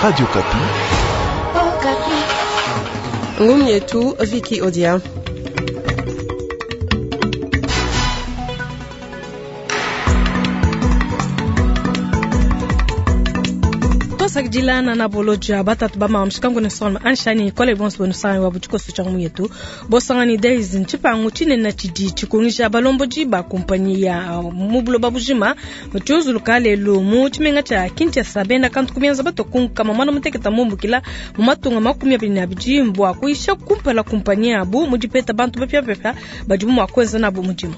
Radio Okapi. Ngumu yetu Viki Odia. Tosakidila na boloja batatu ba mama mushikangu ne solma anshani kole bonso benu sangi wa butshikoso tshia ngumu yetu. Bosangani Days ntshipangu tshinene tshidi tshikungisha balombodi ba kumpanyi ya mu buloba bujima tshiuzuluka lelu mu tshimenga tshia Kinshasa. Bena kantu kumienza batokunkama mwana muteketa mumbukila mu matunga 22 bua kuyisha kumpala kumpanyi yabu mu dipeta bantu bapiabapia badibu mua kuenza nabu mudimu.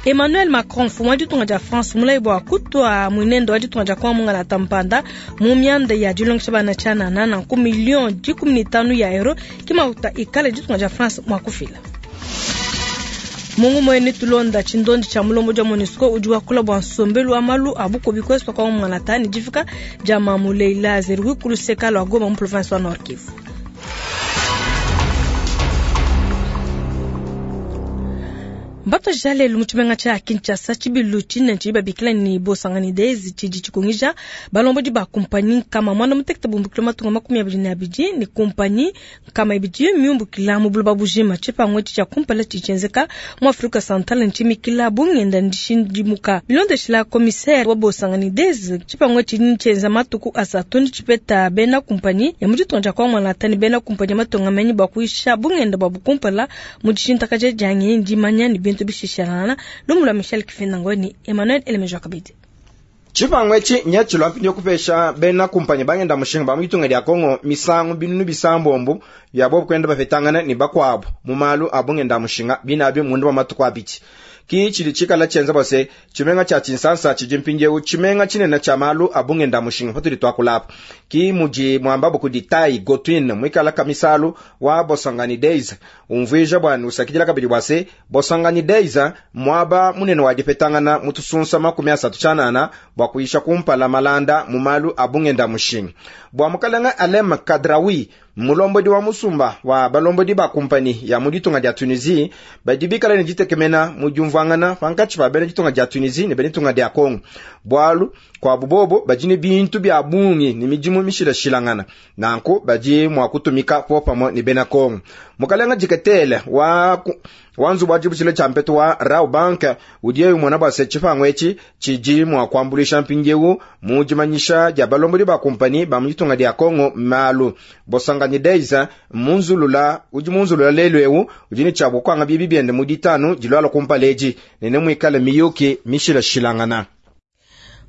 Emmanuel Macron mfumu wa ditunga dia France mulayi bua kutua muinendo wa ditunga dia Kongo mungalata mpanda mu mianda ya dilongesha bana tshianana nanku million 15 ya euro kimauta ikale ditunga dia France mua kufila. Mungu mwene tulonda tshindondi tshia mulombo dia MONUSCO udi wakula bua nsombelu wa malu a bukubi kweswa kwa mungalata ni difika dia Mamu Leila Zerui kuluseka lwa Goma mu province wa Nord Kivu. Mbato jalelu mu tshimenga tshia Kinshasa tshibilu tshinene tshidi babikila ni Bosangani Days tshidi tshikungija balombodi ba kumpanyi nkama mwana mutekete bumbukila matunga 22 ni kumpanyi nkama ibidi miumbukila mu buloba bujima. Tshipangu etshi tshia kumpala tshidi tshienzeka mu Afrika Central ntshimikila bungenda ndishindimuka bilondeshila commissaire wa Bosangani Days. Tshipangu etshi ntshienza matuku asatu ndi tshipeta bena kumpanyi ya mu ditunga dia Kongo Latani bena kumpanyi ya matunga menyi bua kuyisha bungenda bua bukumpala mu dishintakaja dia ngenyi dimanya ni bintu bishishalana. Lumu lwa Michel Kifinda ni Emmanuel Elemejo Kabidi. Tshipangu etshi nyatshilwa mpindieu kupesha bena kumpanyi bangenda mushinga ba mu ditunga dia Kongo misangu binunu bisambombo bia bobu kwenda bapetangana ni bakuabu mu malu a bungenda mushinga binabi mundu wa matuku abidi. Ki tshidi tshikala tshienza bua se tshimenga tshia Tshinsansa tshidi mpindieu tshimenga tshinene tshia malu a bungenda mushinga patudi tuakulapa. Ki mudi muambabu kudi Tai Gotwin muikala kamisalu wa Bosangani Days umvuija bua usakidila kabidi bua se Bosangani Days muaba munene wa dipetangana mu tusunsa 39 bua kuyisha kumpala malanda mu malu a bungenda mushinga. Bua mukalenga Alem Kadrawi mulombodi wa musumba wa balombodi ba kumpani ya mu ditunga dia Tunisie badi bikala ne ditekemena mu diumvuangana pankatshi pa bena ditunga dia Tunisie ne bena ditunga dia Congo. Bualu kuabu bobo badi ne bintu bia bungi ne midimu mishilashilangana, nanku badi mua kutumika popamue ne bena Congo. Mukalenga diketele wa wanzu wa dibutshile tshia mpetu wa Rau Bank udi umona bua se tshipangu etshi tshidi mua kuambuluisha mpindieu mu dimanyisha dia balombodi ba kumpani ba mu ditunga dia Congo malu. Bosangani Days munzulula udi munzulula lelu eu udi ne tshia kuanga bibi biende mu ditanu dilwala kumpala edi ne muikale miyuki mishilashilangana.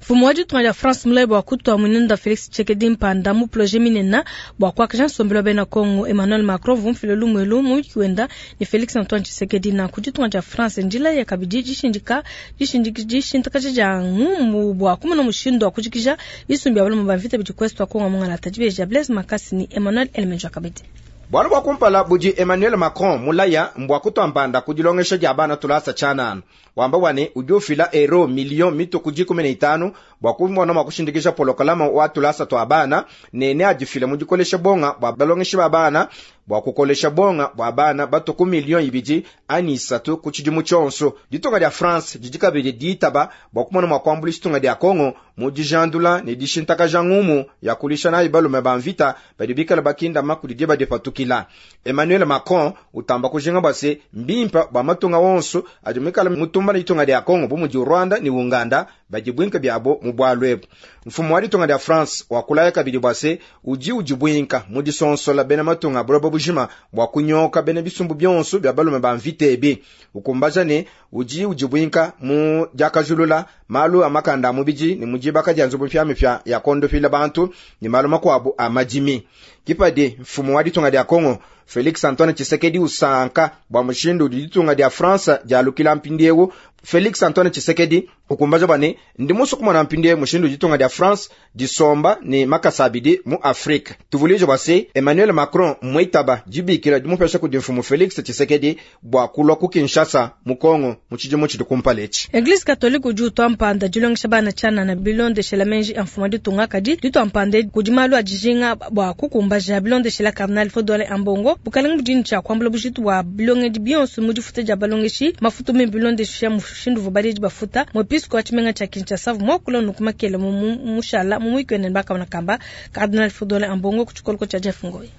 Mfumu wa ditunga dia France mulayi bua kutua muinenda Felix Tshisekedi mpanda mu projet minene bua kuakaja nsombelu wa bena Congo. Emmanuel Macron vumfile lumuelu muyuki wenda ne Felix Antoine Tshisekedi nanku ditunga dia France njila ya kabidi dishindika dishintakaja dia ngumu bua kumona mushindu wa kujikija bisumbi bia balume ba mvita bidi kwesu wa Congo mungalata. Dibeji ya Blaise Makasi ni Emmanuel Elemenjo kabidi. Bualu bua kumpala budi Emmanuel Macron mulaya mbua kutua mpanda ku dilongesha dia bana tulasa tshianana. Wamba bua ne udi ufila euro million mituku 15 bua kumona mua kushindikisha polokalama wa tulasa tua bana ne neadifile mu dikolesha bonga bua balongeshi ba bana bua kukolesha bonga bua bana batuku million 2 ani 3 ku tshidimu tshionso. Ditunga dia France didi kabidi ditaba bua kumona mua kuambuluisha ditunga dia Congo mu dijandula ne dishintakaja ngumu ya kulisha nayi balume ba mvita badi bikala bakindama kudi diba dipatukila. Emmanuel Macron utamba kujinga bua se mbimpa bua matunga wonso adi muikala mutumba ne ditunga dia Congo bu mudi Rwanda ne Uganda badi bwinka biabo mu bwalu ebu. Mfumu wa ditunga dia France wakulaya kabidi bua se udi udibwinka mu disonsola bena matunga buloba bujima bua kunyoka bena bisumbu bionso bia balume ba mvita ebi. Ukumbaja ne udi udibwinka mu diakajulula malu a makanda a mubidi ne mu dibaka dia nzubu mpiamipia ya kondopila bantu ne malu makuabu a madimi. Kipadi mfumu wa ditunga dia Congo Felix Antoine Tshisekedi usanka bua mushindu udi ditunga dia France dialukila mpindieu. Felix Antoine Tshisekedi ukumbaja bua ne ndi musue kumona mpindieu mushindu udi ditunga dia France disomba ne makasa abidi mu Afrique. Tuvuluije bua se Emmanuel Macron muitaba dibikila dimupesha kudi mfumu Felix Tshisekedi bua kulua ku Kinshasa mu Congo mu tshidimu tshidi kumpala etshi. Eglise catholique udi utua mpanda dilongesha bana tshianana bilondeshela menji a mfumu wa ditunga kadi ditua mpanda kudi malu a dijinga bua kukumbaja bilondeshela Cardinal Fridolin Ambongo. Congo. Bukalenga budi ne tshia kuambula bujitu bua bilongedi bionso mu difuta dia balongeshi mafutu mimpe bilondeshile mushindu uvua baledi bafuta. Muepisko wa tshimenga tshia Kinshasa uvua muakula nunku makele mu mushala mu muyuki wende ne bakamona kamba Cardinal Fridolin Ambongo ku tshikoloko tshia Jeff Ngoyi.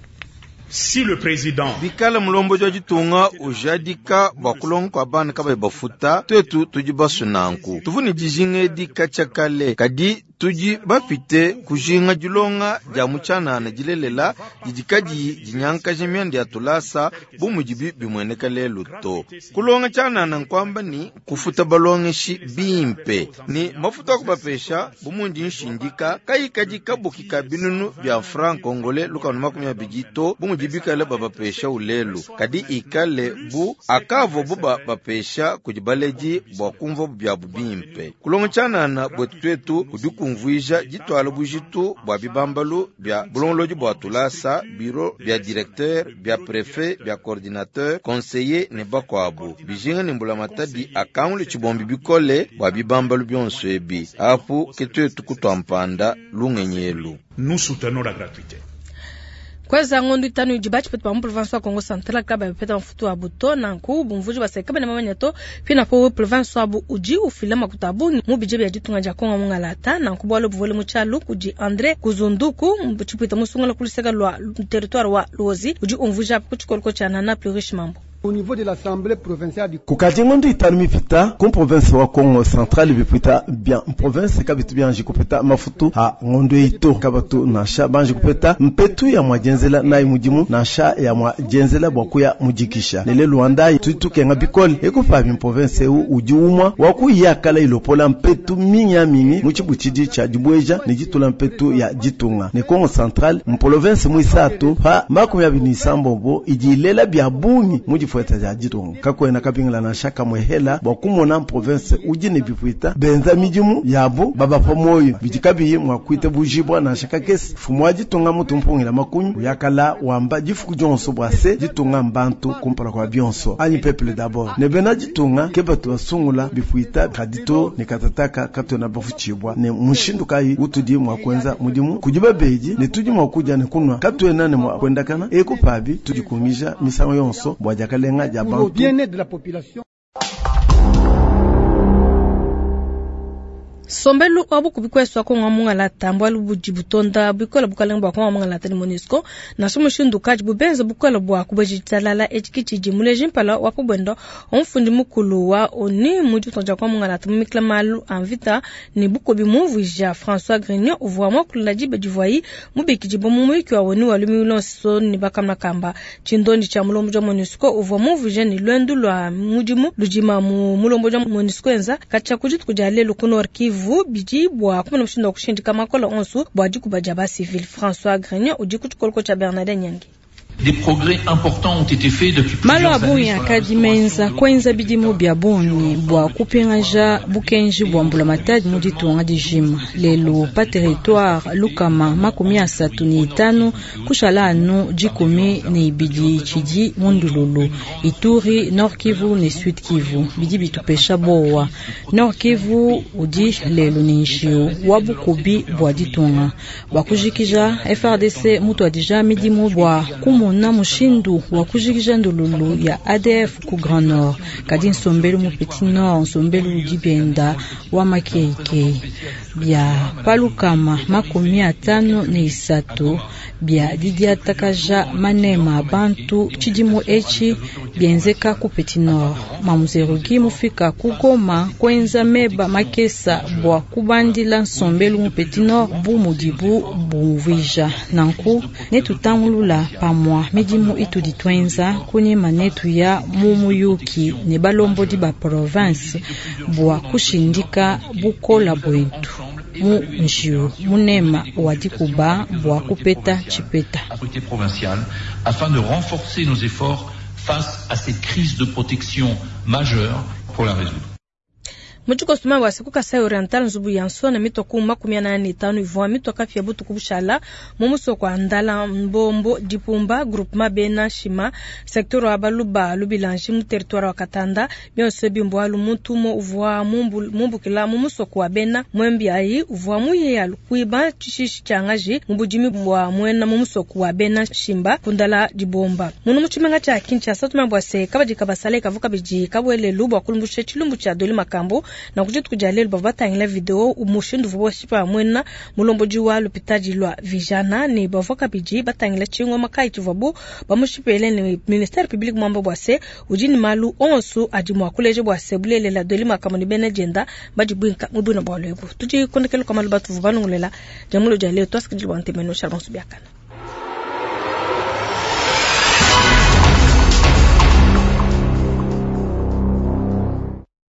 Si le président Bikala mulombodi wa ditunga ujadika bua kulonga kua bana kabayi bafuta, tuetu tudi basue nanku. Tuvua ne dijinga edi katshia kale, kadi tudi bapite kujinga dilonga dia mu tshianana dilelela didi kadiyi dinyankaja mianda ya tulasa bu mudibi bimueneka lelu to. Kulonga tshianana nkuamba ne kufuta balongeshi bimpe ne mafuta a kubapesha bu mundi nshindika kayikadi kabuki ka binunu bia franc congolais 120 to bu mudi bikale babapesha ulelu, kadi ikale bu akavuabu babapesha kudi baledi bua kumvuabu biabu bimpe. Kulonga tshianana buetu tuetu kudi kumvuija dituala bujitu bua bibambalu bia bulongolodi bua tulasa, bureau bia directeur, bia prefet, bia coordinateur, conseiller ne bakuabu. Bijinga ne mbulamatadi akangule tshibombi bikole bua bibambalu bionso ebi. Apu ke tuetu kutua mpanda lungenyi elu. Nous soutenons la gratuité. Kuenza ngondo itanu idi batshipeta ba mu province wa Kongo Central kabayi bapeta mafutu abu to, nanku bumvuiji baseka kabena bamanya to. Pinapo province wabu udi ufila makuta a bungi mu budget bia ditunga dia Kongo mungalata, nanku bualu buvule mu tshialu kudi Andre Kuzunduku tshipwita musungula ku luseke lua territoire wa Luozi udi umvuija ku tshikoloko tshia Nana Plurish Mambo. Au niveau de l'Assemblée provinciale du Kukadi ngondo itanu mipita ku province wa Kongo Central bipita bia province kabitu bianji kupeta mafutu a ngondo ito kabatu nansha banji kupeta mpetu ya mwajenzela nayi mudimu nansha ya mwajenzela bua kuya mujikisha lele Luanda tutukenga bikole ekupa mi province eu udi umwa wa kuyakala ilopola mpetu minya mingi mu tshibutshidi tshia dibweja ne ditula mpetu ya ditunga ne Kongo Central mu province muisatu pa 26 idi ilela bia bungi mu difueta dia ditunga kakwena kabingila nansha kamwe hela bua kumona province udi ne bipuita benza midimu yabu babapa moyo bidi kabiyi mua kuita bujibwa nansha kakese fumu wa ditunga mutu mpungila makunyu yakala wamba difuku dionso bua se ditunga mbantu kumpala kwa bionso anyi peuple d'abord ne bena ditunga ke batu basungula bipuita kadito ne katataka katona bafuchibwa ne mushindu kayi utudi mua kuenza mudimu kudi babedi ne tudi mua kudia ne kunwa katuena ne mua kuendakana ekupabi tudi kungija misango yonso bua diakalenga dia pour le bantu. bien-être de la population. Sombelu wa bukubi kwesu wa Kongo mungalata mbwalu budi butonda bukola bukalenga bua Kongo mungalata ne MONUSCO nansha mushindu kadi bubenza bukola bua kubeji talala etshikitshi muleji mpala wa pobwendo omfundi mukulu wa ONU mu ditunga Kongo mungalata mu mikila malu a mvita ne bukobi mumvuija François Grignon uvua muakula diba divuayi mubikidi mu muyuki wa ONU wa lumingu luonso ne bakamna kamba tshindondi tshia mulombo wa MONUSCO uvua mumvuija ne lwendu lua mudimu ludima mu mulombo wa MONUSCO enza katshia ku dituku dia lelu ku Nord Kivu bidi bua kumona mushindu wa kushindika makola onso bua dikuba dia ba civil. François Grignon udi ku tshikoloko tshia Bernardin Nyangi. Des progrès importants ont été faits depuis Malo plusieurs a bungi années sur la akadi menza kwenza bidimu bia bungi bua kupingaja bukenji bua mbulamatadi mu ditunga dijima lelu pa territoire lukama 35 kushala anu 12 tshidi mundululu Ituri, Nord Kivu ne Sud Kivu bidi bitupesha bowa. Nord Kivu udi lelu ni njiu wa bukubi bua ditunga bua kujikija FARDC mutuadija midimu bua kumona mushindu wa kujikija ndululu ya ADF ku Grand Nord kadi nsombelu mu Petit Nord nsombelu udi bienda wa makeikei bia palukama 53 bia didiatakaja manema abantu tshidimu etshi bienzeka ku Petit Nord mamuzerugi mufika ku Goma kwenza meba makesa bua kubandila nsombelu mu Petit Nord bu mudibu bumvuija nanku netutangulula pamua midimu itudi twenza kunyima netu ya mu muyuki ne balombodi ba province bua kushindika bukola bwetu mu njiu munema wa dikuba bua kupeta tshipeta. Autorité provinciale afin de renforcer nos efforts face à cette crise de protection majeure pour la résoudre. Mu tshikoso wa ku Kasai Oriental, nzubu ya nsona mitua ku 45 ivua mitua kapia butuku bushala mu musoko wa Ndala Mbombo Dipumba groupement Bena Shima secteur wa Baluba Lubilanji mu territoire wa Katanda. Bionso bimbualu muntu umue uvua mumbukila mu musoko wa Bena Mwembiayi uvua muye kuiba tshishishi tshia ngaji mu budimi bua muena mu musoko wa Bena Shimba kundala dibomba. Munu mu tshimenga tshia Kinshasa tumambua se kabadi kabasale kavu kabidi kabwelelu bua kulumbusha tshilumbu tshia Doli Makambo na kuditu kudia lelu bavua batangila video mushindu uvua bashipa muena mulombodi wa lupitadi lua Vijana ne bavua kabidi batangila tshingoma kayi tshivuabu bamushipele ne ministère public mwamba bua se udi ne malu onso adi mua kuleja bua se bulelela Doli Makambo ne bena dienda badi buinka mu buina bua lwebu. Tudi kondekela kwa malu batuvu banungulela jamulo dia leo twasikidili bua ntemeno shalom subiakana.